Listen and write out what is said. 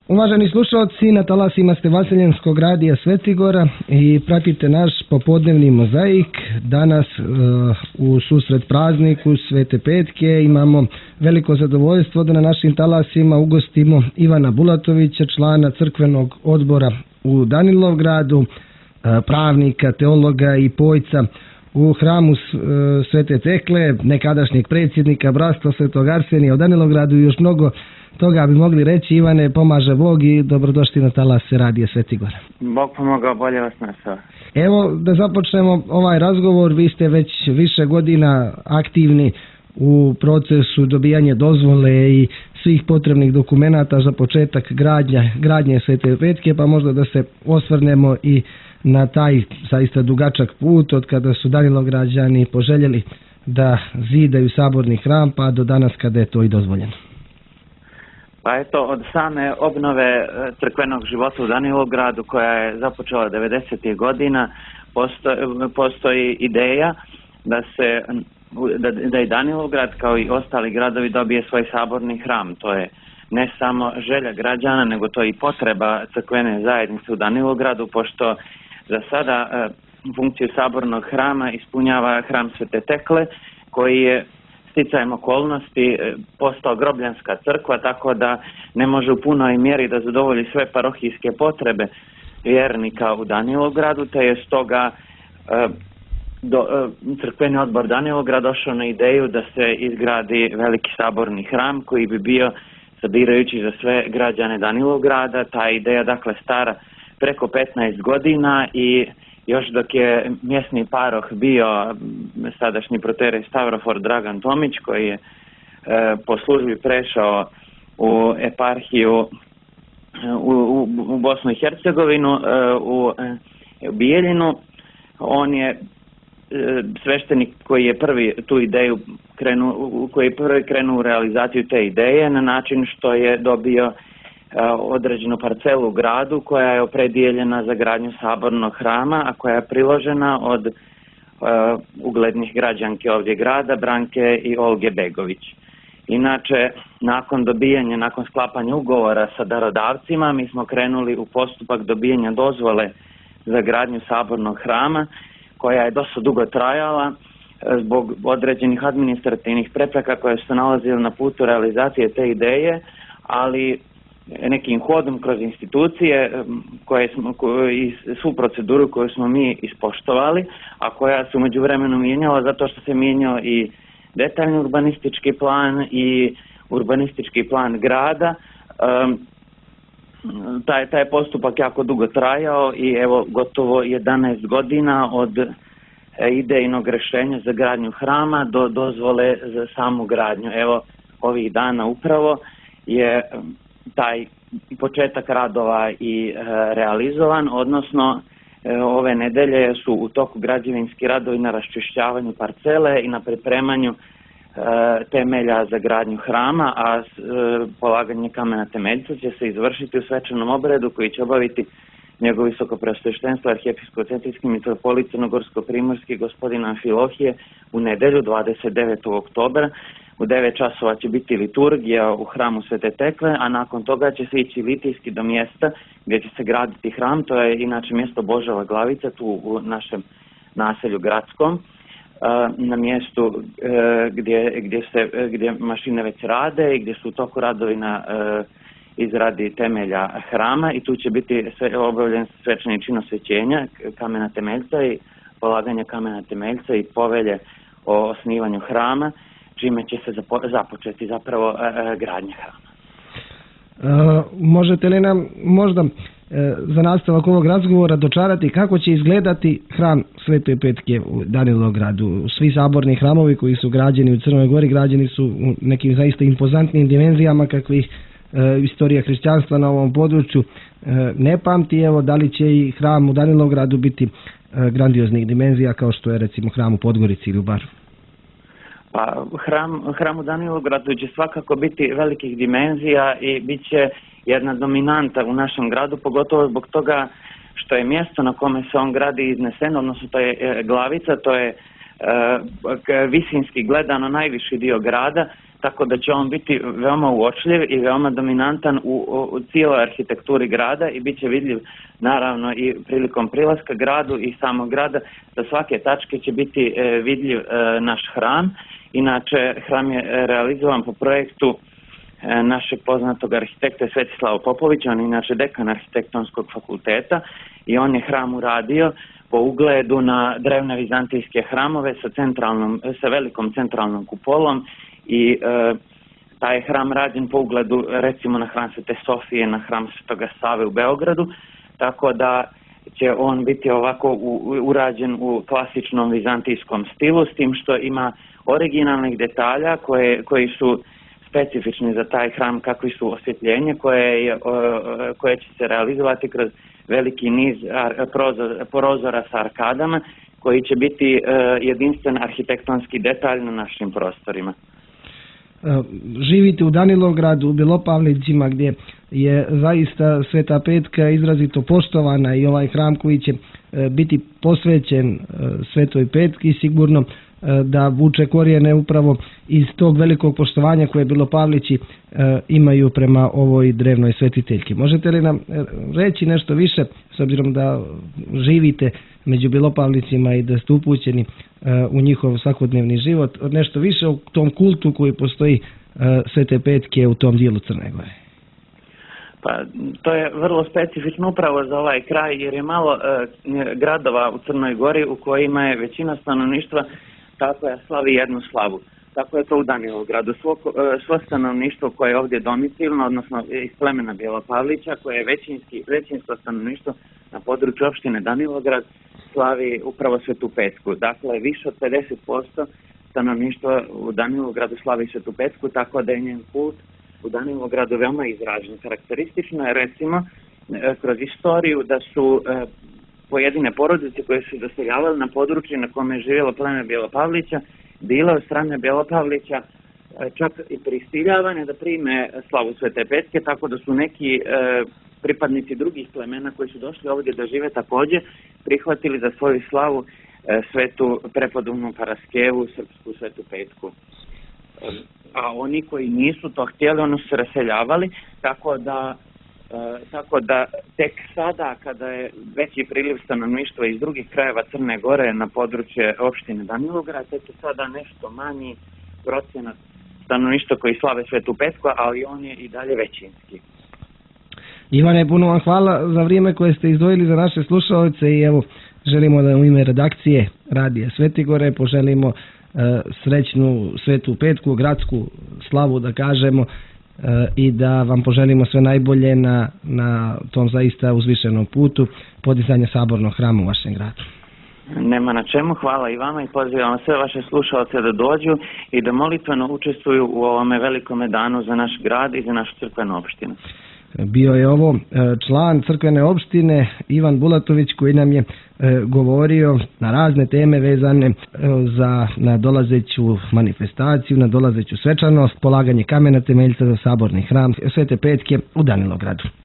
Uvaženi slušalci, na talasima ste Vaseljenskog radija Svecigora i pratite naš popodnevni mozaik. Danas u susret prazniku Svete Petke imamo veliko zadovoljstvo da na našim talasima ugostimo Ivana Bulatovića, člana crkvenog odbora u Danilovgradu, pravnika, teologa i pojca u hramu Svete Tekle, nekadašnjeg predsjednika Bratstva Svetog Arsenija u Danilovgradu i još mnogo toga bi mogli reći. Ivane, pomaže Bog i dobrodošli na talase radija Svecigora. Bog pomogao, bolje vas našao. Evo da započnemo ovaj razgovor. Vi ste već više godina aktivni u procesu dobijanja dozvole i svih potrebnih dokumenata za početak gradnje Svete Petke, pa možda da se osvrnemo i na taj zaista dugačak put od kada su Danilovgrađani poželjeli da zidaju saborni hram pa do danas kada je to i dozvoljeno. Pa eto, od same obnove crkvenog života u Danilovgradu koja je započela 90. godina postoji ideja da i Danilovgrad kao i ostali gradovi dobije svoj saborni hram. To je ne samo želja građana, nego to i potreba crkvene zajednice u Danilovgradu, pošto za sada funkciju sabornog hrama ispunjava hram Svete Tekle, koji je sticajem okolnosti postao grobljanska crkva, tako da ne može u punoj mjeri da zadovolji sve parohijske potrebe vjernika u Danilovgradu, te je stoga crkveni odbor Danilovgrad došao na ideju da se izgradi veliki saborni hram koji bi bio sabirajući za sve građane Danilovgrada. Ta ideja dakle stara preko 15 godina i još dok je mjesni paroh bio sadašnji proterej Stavrofor Dragan Tomić, koji je po službi prešao u eparhiju u Bosnu i Hercegovinu, u Bijeljinu, on je sveštenik koji je prvi tu ideju krenuo u realizaciju te ideje na način što je dobio određenu parcelu u gradu koja je opredijeljena za gradnju sabornog hrama, a koja je priložena od uglednih građanki ovdje grada, Branke i Olge Begović. Inače, nakon sklapanja ugovora sa darodavcima, mi smo krenuli u postupak dobijanja dozvole za gradnju sabornog hrama, koja je dosta dugo trajala zbog određenih administrativnih prepreka koje su se nalazile na putu realizacije te ideje, ali nekim hodom kroz institucije i svu proceduru koju smo mi ispoštovali, a koja se u međuvremenu mijenjala zato što se mijenjao i detaljni urbanistički plan i urbanistički plan grada. Taj postupak jako dugo trajao i evo gotovo 11 godina od idejnog rješenja za gradnju hrama do dozvole za samu gradnju. Evo ovih dana upravo je taj početak radova i realizovan, odnosno ove nedelje su u toku građevinski radovi na raščišćavanju parcele i na pripremanju temelja za gradnju hrama, a polaganje kamena temeljca će se izvršiti u svečanom obredu koji će obaviti njegovo visokopreosveštenstvo arhijepiskopsko-centrijski mitropolit crnogorsko-primorski gospodin Amfilohije u nedjelju 29. oktobra. U 9 časova će biti liturgija u hramu Svete Tekle, a nakon toga će se ići litijski do mjesta gdje će se graditi hram. To je inače mjesto Božova Glavica, tu u našem naselju gradskom, na mjestu gdje mašine već rade i gdje su u toku radovi na izradi temelja hrama, i tu će biti obavljen svečani čin osvećenja kamena temeljca i polaganje kamena temeljca i povelje o osnivanju hrama, čime će se započeti zapravo gradnja hrama. Možete li nam možda za nastavak ovog razgovora dočarati kako će izgledati hram Svete Petke u Danilovgradu? Svi saborni hramovi koji su građeni u Crnoj Gori građeni su u nekim zaista impozantnim dimenzijama kakvih istorija hrišćanstva na ovom području ne pamti. Evo, da li će i hram u Danilovgradu biti grandioznih dimenzija kao što je recimo hram u Podgorici ili u Baru? Pa hram u Danilovgradu će svakako biti velikih dimenzija i bit će jedna dominanta u našem gradu, pogotovo zbog toga što je mjesto na kome se on gradi izneseno, odnosno to je Glavica, to je visinski gledano najviši dio grada, tako da će on biti veoma uočljiv i veoma dominantan u cijeloj arhitekturi grada i bit će vidljiv naravno i prilikom prilaska gradu i samog grada. Sa svake tačke će biti vidljiv naš hram. Inače, hram je realizovan po projektu našeg poznatog arhitekta Svetislava Popovića, on je inače dekan arhitektonskog fakulteta i on je hram uradio po ugledu na drevne vizantijske hramove sa velikom centralnom kupolom i taj je hram rađen po ugledu recimo na hram Svete Sofije, na hram Svetoga Save u Beogradu, tako da će on biti ovako urađen u klasičnom vizantijskom stilu, s tim što ima originalnih detalja koji su specifični za taj hram, kakvi su osvjetljenje koje će se realizovati kroz veliki niz prozora sa arkadama koji će biti jedinstven arhitektonski detalj na našim prostorima. Živite u Danilovgradu, u Belopavlićima, gdje je zaista Sveta Petka izrazito poštovana i ovaj hram koji će biti posvećen Svetoj Petki sigurno da vuče korijene upravo iz tog velikog poštovanja koje Belopavlići imaju prema ovoj drevnoj svetiteljki. Možete li nam reći nešto više, s obzirom da živite među Belopavlicima i da ste upućeni u njihov svakodnevni život, nešto više o tom kultu koji postoji Svete Petke u tom dijelu Crne Gore? Pa to je vrlo specifično upravo za ovaj kraj, jer je malo gradova u Crnoj Gori u kojima je većina stanovništva koja slavi jednu slavu. Tako je to u Danilovgradu. Svo stanovništvo koje je ovdje domicilno, odnosno iz plemena Belopavlića, koje je većinsko stanovništvo na području opštine Danilovgrad, slavi upravo Svetu Petku. Dakle, više od 50% stanovništva u Danilovgradu slavi Svetu Petku, tako da je njen kult u Danilovgradu veoma izražen. Karakteristično je recimo kroz istoriju da su pojedine porodice koje su doseljavale na području na kome je živjelo pleme Belopavlića, bile od strane Belopavlića čak i prisiljavane da prime slavu Svete Petke, tako da su neki pripadnici drugih plemena koji su došli ovdje da žive također prihvatili za svoju slavu svetu prepodobnu Paraskevu, srpsku Svetu Petku. A oni koji nisu to htjeli, oni su se raseljavali, tako da tek sada kada je veći priliv stanovništva iz drugih krajeva Crne Gore na područje opštine Danilovgrad, tek je sada nešto manji procenat stanovništva koji slave Svetu Petku, ali on je i dalje većinski. Ivane, puno vam hvala za vrijeme koje ste izdvojili za naše slušalce i evo želimo da u ime redakcije Radija Svetigore poželimo srećnu Svetu Petku, gradsku slavu da kažemo, i da vam poželimo sve najbolje na tom zaista uzvišenom putu podizanja sabornog hrama u vašem gradu. Nema na čemu, hvala i vama i pozivam sve vaše slušalce da dođu i da molitveno učestvuju u ovome velikome danu za naš grad i za našu crkvenu opštinu. Bio je ovo član crkvene opštine Ivan Bulatović koji nam je govorio na razne teme vezane za nadolazeću manifestaciju, nadolazeću svečanost, polaganje kamena temeljca za saborni hram Svete Petke u Danilovgradu.